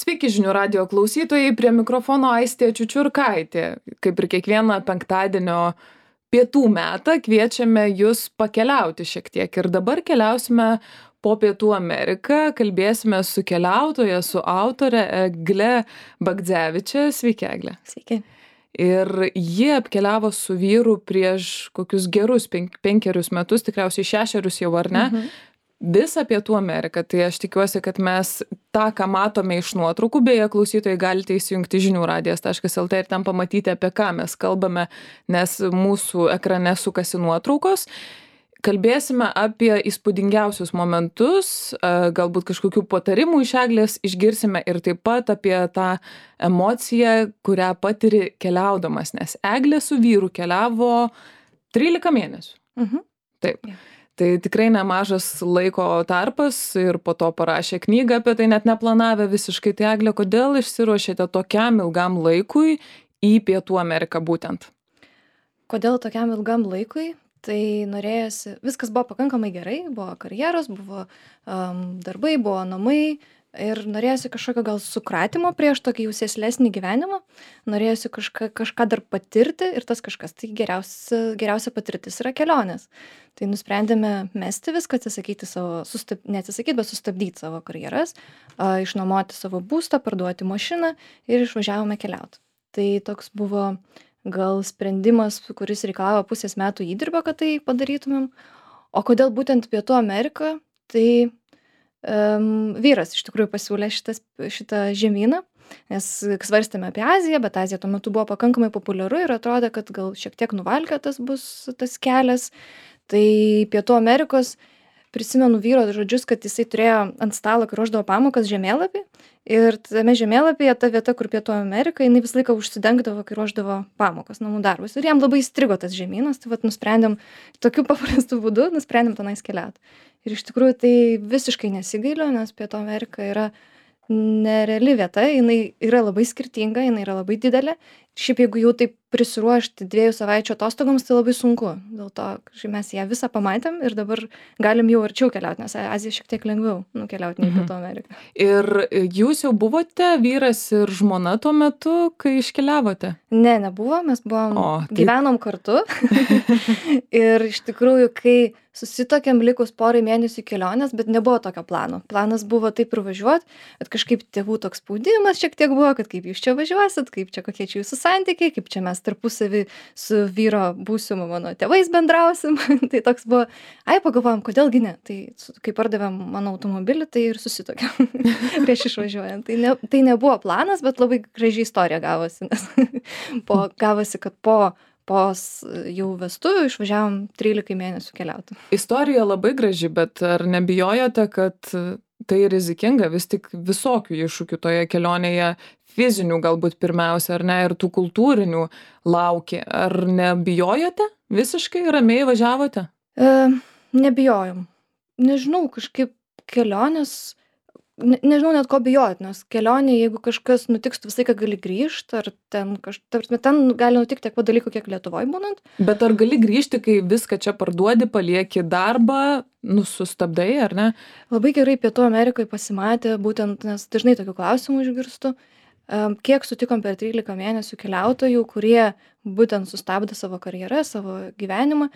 Sveiki žinių radijo klausytojai, prie mikrofono Aistė Čiučiurkaitė. Kaip ir kiekvieną penktadienio pietų metą kviečiame jūs pakeliauti šiek tiek. Ir dabar keliausime po Pietų Ameriką, kalbėsime su keliautoja, su autore Egle Bagdzeviče. Sveiki, Egle. Sveiki. Ir ji apkeliavo su vyru prieš kokius gerus 5 metus, tikriausiai 6 jau ar ne, visą Pietų Ameriką. Tai aš tikiuosi, kad mes tą, ką matome iš nuotraukų, beje, klausytojai galite įsijungti žiniųradijas.lt ir ten pamatyti, apie ką mes kalbame, nes mūsų ekrane sukasi nuotraukos. Kalbėsime apie įspūdingiausius momentus, galbūt kažkokių patarimų iš Eglės išgirsime ir taip pat apie tą emociją, kurią patiri keliaudamas, nes Eglė su vyru keliavo 13 mėnesių. Taip. Tai tikrai nemažas laiko tarpas ir po to parašė knygą apie tai, net neplanavę visiškai. Tai Eglė, kodėl išsiruošėte tokiam ilgam laikui į Pietų Ameriką būtent? Kodėl tokiam ilgam laikui? Tai norėjosi, viskas buvo pakankamai gerai, buvo karjeros, buvo darbai, buvo namai ir norėjosi kažkokio gal sukratimo prieš tokį jau sėslesnį gyvenimą, norėjosi kažką dar patirti ir tas kažkas, tai geriausia patirtis yra kelionės. Tai nusprendėme mesti viską, atsisakyti savo, neatsisakyti, bet sustabdyti savo karjeras, išnuomoti savo būstą, parduoti mašiną ir išvažiavome keliauti. Tai toks buvo gal sprendimas, kuris reikalavo pusės metų įdirbio, kad tai padarytumėm. O kodėl būtent Pietų Amerika? Tai vyras iš tikrųjų pasiūlė šitą žemyną, nes svarstėme apie Aziją, bet Azija tuo metu buvo pakankamai populiaru ir atrodė, kad gal šiek tiek nuvalkiotas bus tas kelias. Tai Pietų Amerikos, prisimenu vyro žodžius, kad jisai turėjo ant stalo, kai ruošdavo pamokas, žemėlapį. Ir tame žemėlapyje ta vieta, kur Pietų Amerika, jinai visą laiką užsidengdavo, kai ruošdavo pamokas, namų darbus. Ir jam labai įstrigo tas žemynas, tai vat nusprendėm tokiu paprastu būdu, nusprendėm tenais keliauti. Ir iš tikrųjų tai visiškai nesigailiu, nes Pietų Amerika yra nereali vieta, jinai yra labai skirtinga, jinai yra labai didelė. Šiaip jeigu jau taip prisiruošti 2 savaičių atostogoms, tai labai sunku. Dėl to mes ją visą pamatėm ir dabar galim jau arčiau keliauti, nes Azija šiek tiek lengviau nukeliauti nei Pietų Ameriką. Ir jūs jau buvote vyras ir žmona tuo metu, kai iškeliavote? Ne, nebuvo, mes gyvenom kartu. Ir iš tikrųjų, kai susitokėm likus porai mėnesių kelionės, bet nebuvo tokio plano. Planas buvo taip ir važiuoti, bet kažkaip tėvų toks spaudimas šiek tiek buvo, kad kaip jūs čia važiuosit, kaip čia kokie čia jūsų santykiai, kaip čia mes tarpusavį su vyro būsimu mano tėvais bendrausim. Tai toks buvo, pagalvojom, kodėlgi ne. Tai kai pardavėm mano automobilį, tai ir susitokėm prieš išvažiuojant. Tai nebuvo planas, bet labai graži istorija gavosi, nes gavosi, kad po jau vestuvių išvažiavom 13 mėnesių keliauti. Istorija labai graži, bet ar nebijojote, kad tai rizikinga, vis tik visokių iššūkių toje kelionėje, fizinių galbūt pirmiausia, ar ne, ir tų kultūrinių laukia. Ar nebijojote? Visiškai ramiai važiavote? Nebijojom. Nežinau, kažkaip kelionės, nežinau net ko bijot, nes kelionė, jeigu kažkas nutiks, tu visą laiką gali grįžti, ar ten gali nutikti tiek dalykų, kiek Lietuvoj būnant. Bet ar gali grįžti, kai viską čia parduodi, palieki darbą, sustabdai, ar ne? Labai gerai Pietų Amerikoje pasimatė, būtent, nes dažnai tokių klausimų išgirstu, kiek sutikom per 13 mėnesių keliautojų, kurie būtent sustabdė savo karjerą, savo gyvenimą,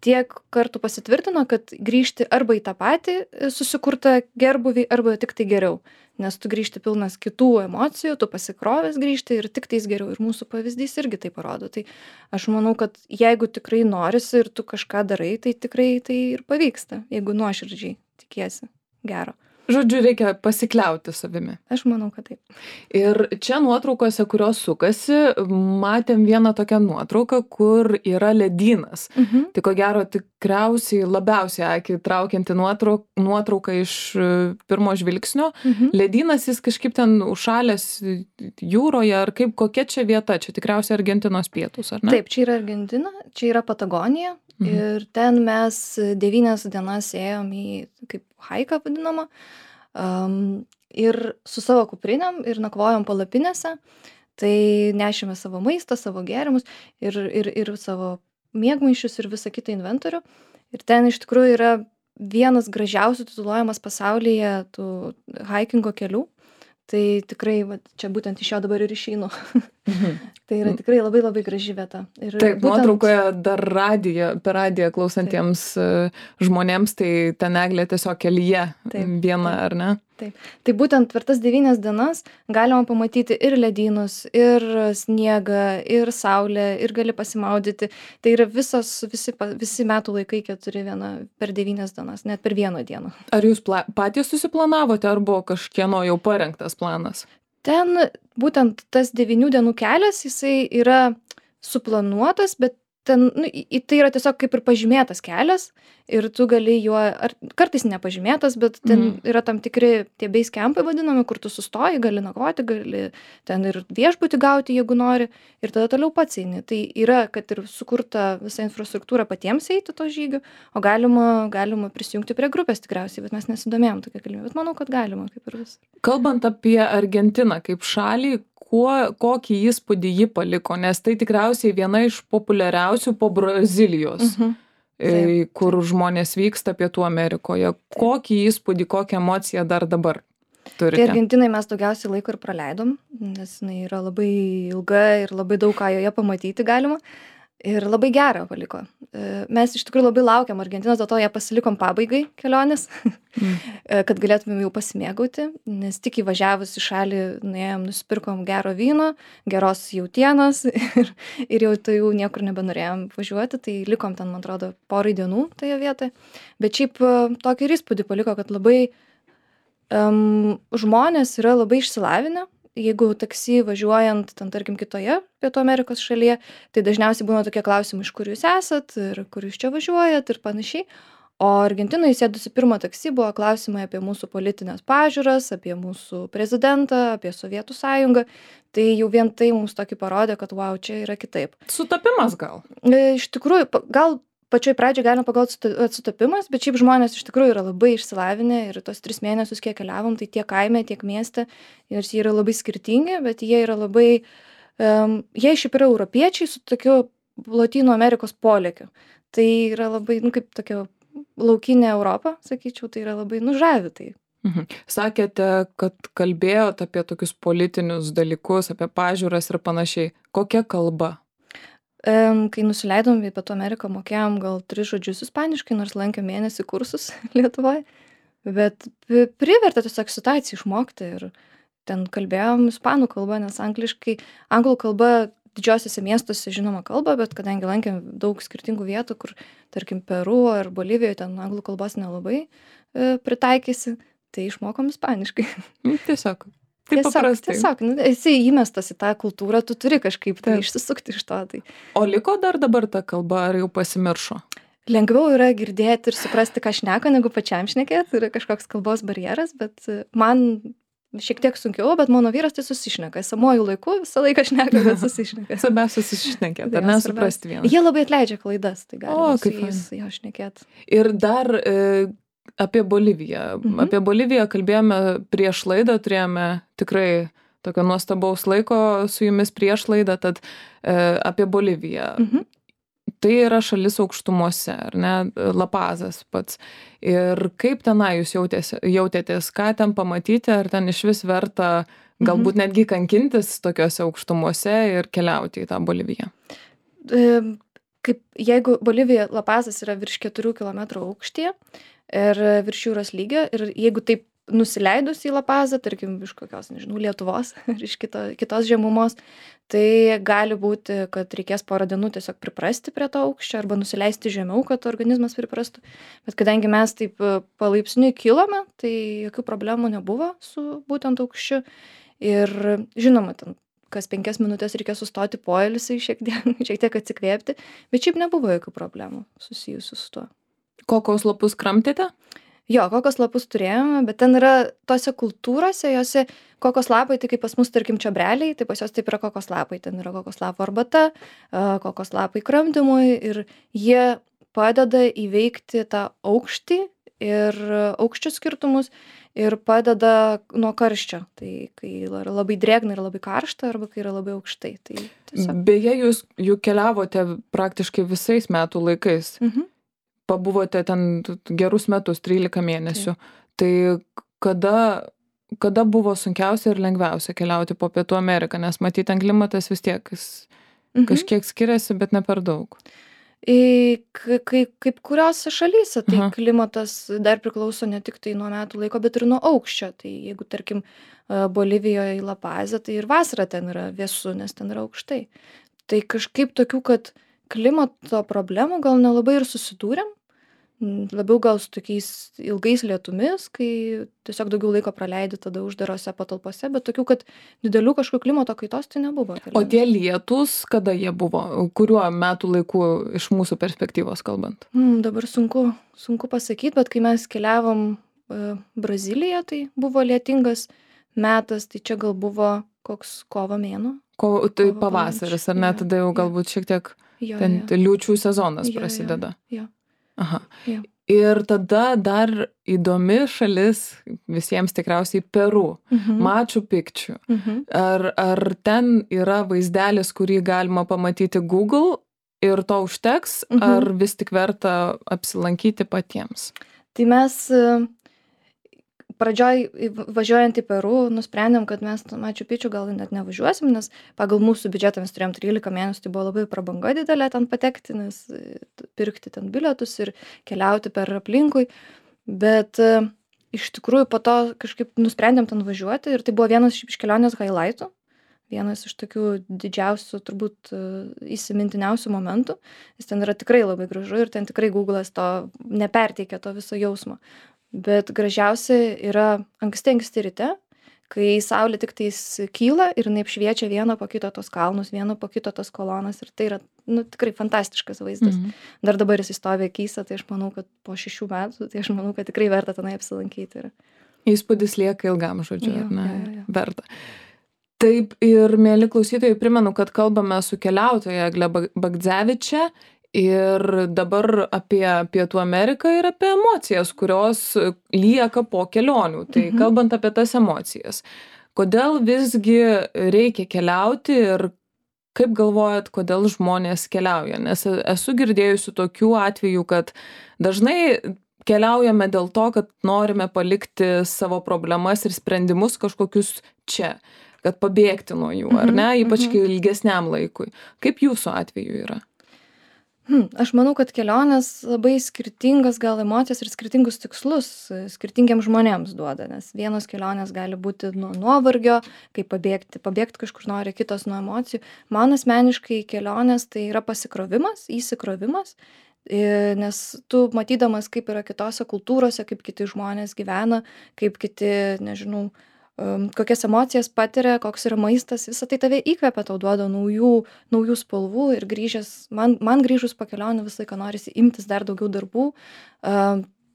tiek kartų pasitvirtino, kad grįžti arba į tą patį susikurtą gerbuvį, arba tik tai geriau. Nes tu grįžti pilnas kitų emocijų, tu pasikrovęs grįžti ir tik tais geriau. Ir mūsų pavyzdys irgi tai parodo. Tai aš manau, kad jeigu tikrai norisi ir tu kažką darai, tai tikrai tai ir pavyksta, jeigu nuoširdžiai tikiesi gero. Žodžiu, reikia pasikliauti savimi. Aš manau, kad taip. Ir čia nuotraukose, kurios sukasi, matėm vieną tokią nuotrauką, kur yra ledynas. Tai ko gero tikriausiai labiausiai akį traukianti nuotrauka iš pirmo žvilgsnio. Ledynas, jis kažkaip ten užšalęs jūroje, ar kaip, kokia čia vieta? Čia tikriausiai Argentinos pietus, ar ne? Taip, čia yra Argentina, čia yra Patagonija. Ir ten mes 9 dienas ėjom į kaip haiką vadinamą ir su savo kuprinėm ir nakvojom palapinėse. Tai nešėme savo maistą, savo gėrimus ir savo miegmaišius ir visą kitą inventorių. Ir ten iš tikrųjų yra vienas gražiausių tituluojamas pasaulyje tų haikingo kelių. Tai tikrai, vat, čia būtent iš jo dabar ir išeinu. Tai yra tikrai labai labai graži vieta. Ir Taip, būtent... nuotraukoje dar per radiją klausantiems žmonėms, tai ten eglė tiesiog kelyje viena, ar ne? Taip. Tai būtent per tas 9 dienas galima pamatyti ir ledynus, ir sniegą, ir saulę, ir gali pasimaudyti. Tai yra visi metų laikai 4 per 9 dienas, net per 1 dieną. Ar jūs patys susiplanavote, ar buvo kažkieno jau parengtas planas? Ten būtent tas 9 dienų kelias, jisai yra suplanuotas, bet ten, tai yra tiesiog kaip ir pažymėtas kelias ir tu gali juo, ar kartais nepažymėtas, bet ten yra tam tikri tie base campai vadinami, kur tu sustoji, gali nakvoti, gali ten ir viešbutį gauti, jeigu nori, ir tada toliau pats eini. Tai yra, kad ir sukurta visa infrastruktūra patiems eiti to žygio, o galima prisijungti prie grupės tikriausiai, bet mes nesidomėjom tokia galimybė, bet manau, kad galima, kaip ir vis. Kalbant apie Argentiną kaip šalį, kokį įspūdį ji paliko, nes tai tikriausiai viena iš populiariausių po Brazilijos, kur žmonės vyksta Pietų Amerikoje. Kokį įspūdį, kokią emociją dar dabar turite? Tai Argentinai mes daugiausiai laiko ir praleidom, nes jinai yra labai ilga ir labai daug ką joje pamatyti galima. Ir labai gerą paliko. Mes iš tikrųjų labai laukiam Argentinos, dėl to ją pasilikom pabaigai kelionės, kad galėtumėm jau pasimėgauti, nes tik įvažiavus į šalį nuėjom, nusipirkom gero vyno, geros jautienos ir jau tai jau niekur nebenorėjom važiuoti, tai likom ten, man atrodo, porai dienų toje vietoje. Bet šiaip tokį ir įspūdį paliko, kad labai žmonės yra labai išsilavinę. Jeigu taksi važiuojant, ten tarkim kitoje Pietų Amerikos šalyje, tai dažniausiai būna tokie klausimai, iš kur jūs esat ir kur jūs čia važiuojat ir panašiai. O Argentinoje įsėdusi pirmą taksi buvo klausimai apie mūsų politinės pažiūras, apie mūsų prezidentą, apie Sovietų sąjungą. Tai jau vien tai mums tokį parodė, kad wow, čia yra kitaip. Sutapimas gal? Iš tikrųjų, gal pačioj pradžioj galima pagalvoti sutapimas, bet šiaip žmonės iš tikrųjų yra labai išsilavinę ir tos 3 mėnesius, kiek keliavom, tai tiek kaime, tiek mieste, ir jie yra labai skirtingi, bet jie yra labai, jie šiaip yra europiečiai su tokiu Lotynų Amerikos polėkiu. Tai yra labai, kaip tokia laukinė Europa, sakyčiau, tai yra labai žavi tai. Sakėte, kad kalbėjot apie tokius politinius dalykus, apie pažiūras ir panašiai. Kokia kalba? Kai nusileidom į Pietų Ameriką, mokėjom gal 3 žodžius ispaniškai, nors lankėm mėnesį kursus Lietuvoje, bet privertė tiesiog situaciją išmokti ir ten kalbėjom ispanų kalbą, nes anglų kalba didžiosiuose miestuose žinoma kalba, bet kadangi lankėm daug skirtingų vietų, kur, tarkim, Peru ar Bolivijoje, ten anglų kalbos nelabai pritaikysi, tai išmokom ispaniškai. Tiesiog. Tiesiog, esi įmestas į tą kultūrą, tu turi kažkaip tai išsisukti iš to. Tai. O liko dar dabar ta kalba, ar jau pasimiršo? Lengviau yra girdėti ir suprasti, ką šneka, negu pačiam šnekėti, yra kažkoks kalbos barjeras, bet man šiek tiek sunkiau, bet mano vyras tai susišneka. Esamuoju laiku visą laiką šneka, bet susišneka. Svarbiausia susišnekėti, ar nesuprasti vieną. Jie labai atleidžia klaidas, tai galima su jais jo šnekėti. Ir dar apie Boliviją. Apie Boliviją kalbėjome prieš laidą, turėjome tikrai tokio nuostabaus laiko su jumis prieš laidą, tad apie Boliviją. Tai yra šalis aukštumose, ar ne, La Pazas pats. Ir kaip tenai jūs jautėtės, ką ten pamatyti, ar ten iš vis verta galbūt netgi kankintis tokiuose aukštumose ir keliauti į tą Boliviją? Jeigu Bolivija, La Pazas yra virš 4 kilometrų aukštyje, ir virš jūros lygio, ir jeigu taip nusileidus į La Pazą, tarkim, iš kokios, nežinau, Lietuvos, iš kitos žemumos, tai gali būti, kad reikės porą dienų tiesiog priprasti prie to aukščio, arba nusileisti žemiau, kad organizmas priprastų. Bet kadangi mes taip palaipsniui kilome, tai jokių problemų nebuvo su būtent aukščiu. Ir žinoma, ten kas 5 minutės reikia sustoti poilsiui, šiek tiek atsikvėpti, bet šiaip nebuvo jokių problemų susijusių su tuo. Kokos lapus kramtėte? Jo, kokos lapus turėjome, bet ten yra tose kultūrose, jose kokos lapai, tai kaip pas mus, tarkim, čiobreliai, tai pas jos taip yra kokos lapai. Ten yra kokos lapų arbata, kokos lapai kramdymui ir jie padeda įveikti tą aukštį ir aukščių skirtumus ir padeda nuo karščio. Tai kai yra labai drėgna ir labai karšta, arba kai yra labai aukštai. Tai tiesiog... Beje, jūs juk keliavote praktiškai visais metų laikais. Pabuvote ten gerus metus, 13 mėnesių. Tai kada kada buvo sunkiausia ir lengviausia keliauti po Pietų Ameriką, nes matyt, ten klimatas vis tiek kažkiek skiriasi, bet ne per daug. Kaip kuriuose šalyse, tai Aha. klimatas dar priklauso ne tik tai nuo metų laiko, bet ir nuo aukščio. Tai jeigu, tarkim, Bolivijoje į La Pazą, tai ir vasara ten yra vėsu, nes ten yra aukštai. Tai kažkaip tokių, kad klimato problemų gal nelabai ir susidūrėm. Labiau gal su tokiais ilgais lietumis, kai tiesiog daugiau laiko praleidi tada uždarose patalpose, bet tokių, kad didelių kažkokių klimato kaitos tai nebuvo. O tie lietūs, kada jie buvo? Kuriuo metų laiku iš mūsų perspektyvos kalbant? Dabar sunku pasakyti, bet kai mes keliavom Braziliją, tai buvo lietingas metas, tai čia gal buvo koks kovo mėnuo. Tai pavasaris, ar ne? Tada jau galbūt šiek tiek ten liūčių sezonas prasideda. Jo. Aha. Ir tada dar įdomi šalis visiems tikriausiai Peru, Machu Picchu. Ar ten yra vaizdelis, kurį galima pamatyti Google ir to užteks, ar vis tik verta apsilankyti patiems? Tai mes pradžioj važiuojant į Peru nusprendėm, kad mes Machu Picchu gal net nevažiuosim, nes pagal mūsų biudžetą mes turėjom 13 mėnesių, tai buvo labai prabanga didelė ten patekti, nes pirkti ten bilietus ir keliauti per aplinkui. Bet iš tikrųjų po to kažkaip nusprendėm ten važiuoti ir tai buvo vienas iš kelionės highlightų, vienas iš tokių didžiausių, turbūt įsimintiniausių momentų, nes ten yra tikrai labai gražu ir ten tikrai Google'as to neperteikia to viso jausmo. Bet gražiausia yra anksti ryte, kai saulė tik tais kyla ir jinai apšviečia vieną po kito tos kalnus, vieną po kito tos kolonas ir tai yra tikrai fantastiškas vaizdas. Dar dabar jis stovi akyse, tai aš manau, kad po 6 metų, tai aš manau, kad tikrai verta tenai apsilankyti. Įspūdis lieka ilgam, žodžiu, ar ne? Verta. Taip, ir mėly klausytojai, primenu, kad kalbame su keliautoja Egle Bagdzeviče ir dabar apie Pietų Ameriką ir apie emocijas, kurios lieka po kelionių. Tai kalbant apie tas emocijas, kodėl visgi reikia keliauti ir kaip galvojat, kodėl žmonės keliauja? Nes esu girdėjusi tokių atvejų, kad dažnai keliaujame dėl to, kad norime palikti savo problemas ir sprendimus kažkokius čia, kad pabėgti nuo jų, ar ne, ypač ilgesniam laikui. Kaip jūsų atveju yra? Aš manau, kad kelionės labai skirtingas gal emocijas ir skirtingus tikslus skirtingiems žmonėms duoda, nes vienos kelionės gali būti nuo nuovargio, kaip pabėgti kažkur nori, kitos nuo emocijų. Man asmeniškai kelionės tai yra pasikrovimas, įsikrovimas, nes tu matydamas, kaip yra kitose kultūrose, kaip kiti žmonės gyvena, kaip kiti, nežinau, kokias emocijas patiria, koks yra maistas, visą tai tave įkvepia, tau duoda naujų spalvų ir man grįžus po kelionių visą laiką norisi imtis dar daugiau darbų,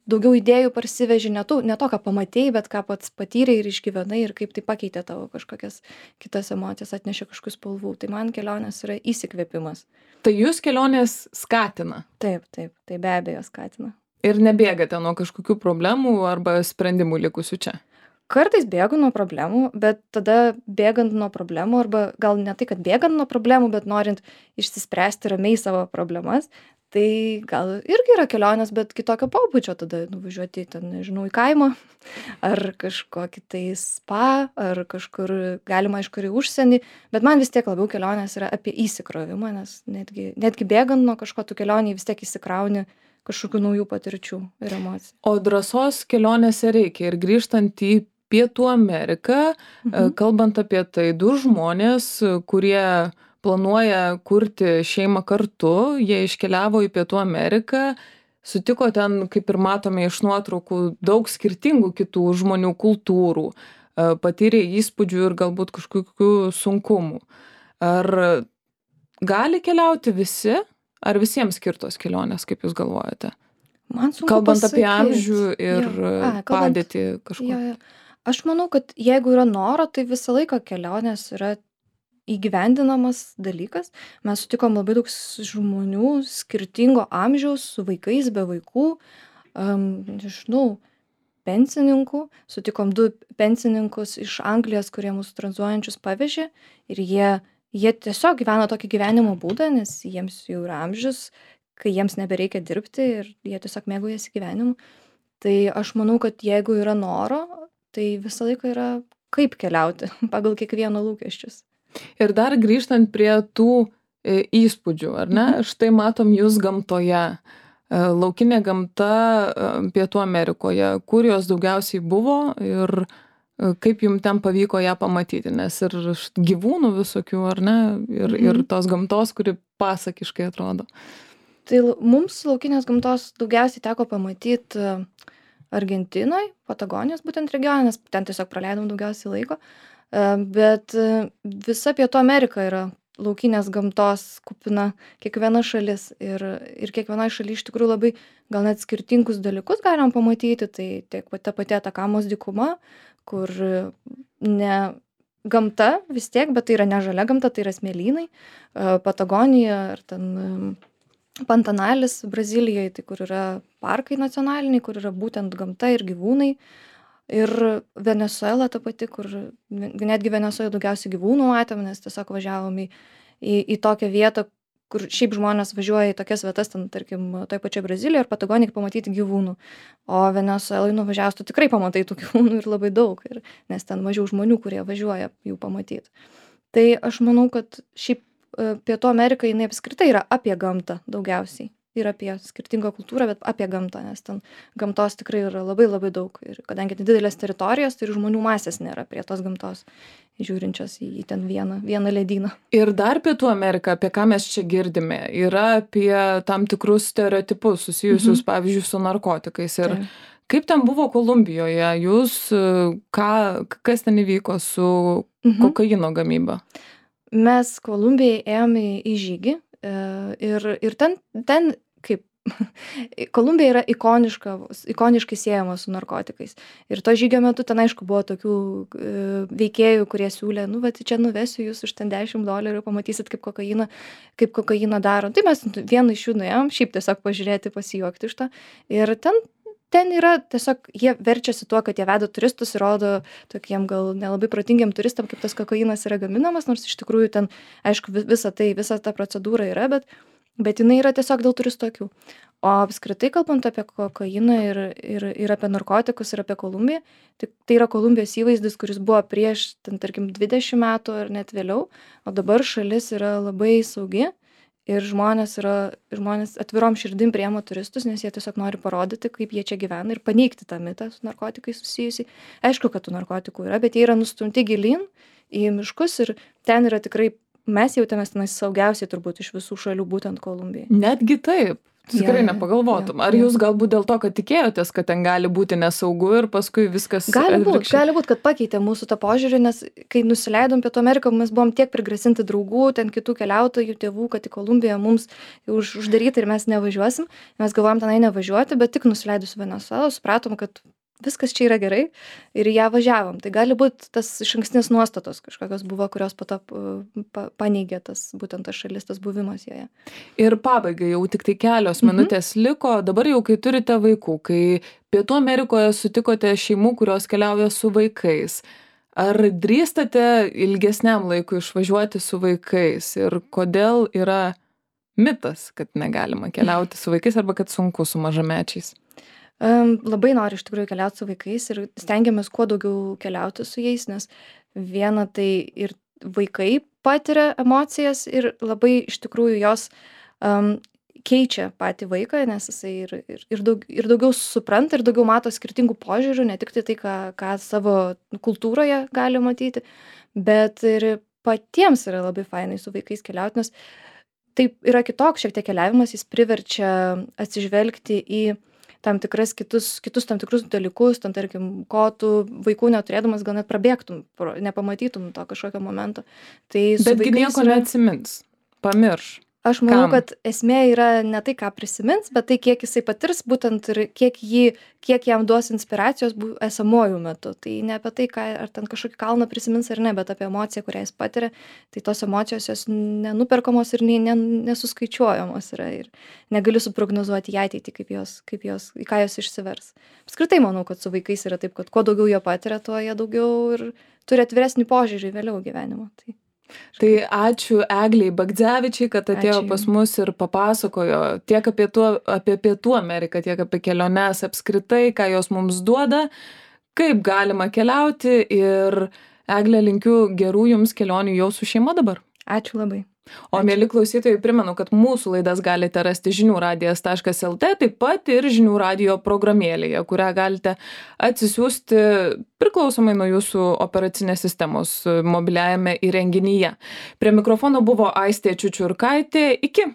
daugiau idėjų parsiveži, ne to, ką pamatėjai, bet ką pats patyrei ir išgyvenai ir kaip tai pakeitė tavo kažkokias kitas emocijas, atnešė kažkokių spalvų. Tai man kelionės yra įsikvėpimas. Tai jūs kelionės skatina? Taip, tai be abejo skatina. Ir nebėgate nuo kažkokių problemų arba sprendimų likusių čia? Kartais bėgu nuo problemų, bet tada bėgant nuo problemų, arba gal ne tai, kad bėgant nuo problemų, bet norint išsispręsti ramiai savo problemas, tai gal irgi yra kelionės, bet kitokio pobūdžio, tada nuvažiuoti ten, nežinau, į kaimą, ar kažkokį tai spa, ar kažkur galima aišku ir į užsienį, bet man vis tiek labiau kelionės yra apie įsikrovimą, nes netgi bėgant nuo kažko tų kelionį vis tiek įsikrauni kažkokių naujų patirčių ir emocijų. O drąsos kelionėse reikia ir grįžtant į Pietų Ameriką, kalbant apie tai, 2 žmonės, kurie planuoja kurti šeimą kartu, jie iškeliavo į Pietų Ameriką, sutiko ten, kaip ir matome iš nuotraukų, daug skirtingų kitų žmonių kultūrų, patyrė įspūdžių ir galbūt kažkokių sunkumų. Ar gali keliauti visi, ar visiems skirtos kelionės, kaip jūs galvojate? Man sunku kalbant pasakyti. Apie amžių ir padėtį kažko. Aš manau, kad jeigu yra noro, tai visą laiką kelionės yra įgyvendinamas dalykas. Mes sutikom labai daug žmonių skirtingo amžiaus, su vaikais, be vaikų, nežinau, pensininkų. Sutikom 2 pensininkus iš Anglijos, kurie mūsų tranzuojančius pavežė ir jie tiesiog gyvena tokį gyvenimo būdą, nes jiems jau yra amžius, kai jiems nebereikia dirbti ir jie tiesiog mėgaujasi gyvenimu. Tai aš manau, kad jeigu yra noro, tai visą laiką yra kaip keliauti pagal kiekvieno lūkesčius. Ir dar grįžtant prie tų įspūdžių, ar ne? Štai matom jūs gamtoje. Laukinė gamta Pietų Amerikoje, kur jos daugiausiai buvo ir kaip jums ten pavyko ją pamatyti, nes ir gyvūnų visokių, ar ne? Ir tos gamtos, kuri pasakiškai atrodo. Tai mums laukinės gamtos daugiausiai teko pamatyti Argentinoje, Patagonijos būtent regione, nes ten tiesiog praleidom daugiausiai laiko. Bet visa Pietų Amerika yra laukinės gamtos kupina, kiekviena šalis ir kiekvienoje šalyje iš tikrųjų labai gal net skirtingus dalykus galim pamatyti, tai tiek ta pati Atakamos dykuma, kur ne gamta vis tiek, bet tai yra ne žalia gamta, tai yra smėlynai, Patagonija ar ten Pantanalis Brazilijoje, tai kur yra parkai nacionaliniai, kur yra būtent gamta ir gyvūnai. Ir Venesuela ta pati, kur netgi Venesuela daugiausiai gyvūnų matėm, nes tiesiog važiavom į tokią vietą, kur šiaip žmonės važiuoja į tokias vietas, ten, tarkim, toj pačioj Brazilijoje ar Patagonijoje pamatyti gyvūnų. O Venesuelai nuvažiavus, tu tikrai pamatai tų gyvūnų ir labai daug, nes ten mažiau žmonių, kurie važiuoja jų pamatyti. Tai aš manau, kad šiaip Pietų Amerika jinai apskritai yra apie gamtą daugiausiai. Ir apie skirtingą kultūrą, bet apie gamtą, nes ten gamtos tikrai yra labai labai daug. Ir kadangi didelės teritorijos, tai ir žmonių masės nėra prie tos gamtos, žiūrinčios į ten vieną ledyną. Ir dar Pietų Amerika, apie ką mes čia girdime, yra apie tam tikrus stereotipus susijusius, pavyzdžiui, su narkotikais. Ir kaip ten buvo Kolumbijoje? Jūs, kas ten įvyko su kokaino gamyba? Mes Kolumbijai ėjome į žygį ir ten kaip Kolumbija yra ikoniškai siejama su narkotikais. Ir to žygio metu ten aišku buvo tokių veikėjų, kurie siūlė, vat čia nuvesiu jūs už ten $10, pamatysit kaip kokainą daro. Tai mes vieną iš jų nuėjom, šiaip tiesiog pažiūrėti, pasijuokti iš to. Ir ten yra tiesiog, jie verčiasi tuo, kad jie veda turistus ir rodo tokiem gal nelabai protingiem turistam, kaip tas kokainas yra gaminamas, nors iš tikrųjų ten, aišku, visa ta procedūra yra, bet jinai yra tiesiog dėl turistų akių. O apskritai, kalbant apie kokainą ir apie narkotikus ir apie Kolumbiją, tai yra Kolumbijos įvaizdis, kuris buvo prieš, ten, tarkim, 20 metų ar net vėliau, o dabar šalis yra labai saugi. Ir žmonės atvirom širdim priima turistus, nes jie tiesiog nori parodyti, kaip jie čia gyvena ir paneigti tą mitą su narkotikais susijusiai. Aišku, kad tų narkotikų yra, bet jie yra nustumti gilyn į miškus ir ten yra tikrai, mes jautėmės tenais saugiausiai turbūt iš visų šalių, būtent Kolumbijai. Netgi taip. Tikrai nepagalvotum. Ar jūs galbūt dėl to, kad tikėjotės, kad ten gali būti nesaugu ir paskui viskas... Gali būt, kad pakeitė mūsų tą požiūrį, nes kai nusileidom Pietų Ameriką, mes buvom tiek prigrasinti draugų, ten kitų keliautojų, tėvų, kad į Kolumbiją mums uždaryti ir mes nevažiuosim. Mes galvojom tenai nevažiuoti, bet tik nusileidus Venesuelą supratom, kad viskas čia yra gerai ir ją važiavom. Tai gali būti tas išankstinės nuostatos kažkokios buvo, kurios po to paneigė būtent tas šalis, tas buvimas joje. Ir pabaigai jau tik tai kelios minutės liko. Dabar jau, kai turite vaikų, kai Pietų Amerikoje sutikote šeimų, kurios keliauja su vaikais, ar drįstate ilgesniam laikui išvažiuoti su vaikais ir kodėl yra mitas, kad negalima keliauti su vaikais arba kad sunku su mažamečiais? Labai noriu iš tikrųjų keliauti su vaikais ir stengiamės kuo daugiau keliauti su jais, nes viena tai ir vaikai patiria emocijas ir labai iš tikrųjų jos keičia patį vaiką, nes jisai ir daugiau supranta ir daugiau mato skirtingų požiūrių, ne tik tai, ką savo kultūroje gali matyti, bet ir patiems yra labai fainai su vaikais keliauti, nes tai yra kitoks šiek tiek keliavimas, jis priverčia atsižvelgti į tam kitus tam tikrus dalykus, tam tarkim, ko tu vaikų neturėdamas gal net prabėgtum, nepamatytum to kažkokio momento. Tai betgi nieko neatsimins, pamirš. Aš manau, kad esmė yra ne tai, ką prisimins, bet tai, kiek jisai patirs būtent ir kiek jam duos inspiracijos esamojų metu. Tai ne apie tai, ar ten kažkokį kalną prisimins ar ne, bet apie emociją, kurią jis patiria. Tai tos emocijos jos nenuperkamos ir nesuskaičiuojamos yra. Ir negali suprognozuoti į ateitį, į ką jos išsivers. Apskritai manau, kad su vaikais yra taip, kad kuo daugiau jie patiria, tuo jie daugiau ir turi atviresnį požiūrį vėliau gyvenimo. Tai ačiū Eglei Bagdzevičiai, kad atėjo pas mus ir papasakojo tiek apie Pietų Ameriką, tiek apie keliones apskritai, ką jos mums duoda, kaip galima keliauti ir Egle, linkiu gerų jums kelionių jau su šeima dabar. Ačiū labai. O mieli klausytojai, primenu, kad mūsų laidas galite rasti žiniųradijas.lt, taip pat ir žinių radijo programėlėje, kurią galite atsisiųsti priklausomai nuo jūsų operacinės sistemos mobiliajame įrenginyje. Prie mikrofono buvo Aistė Čiučiurkaitė. Iki.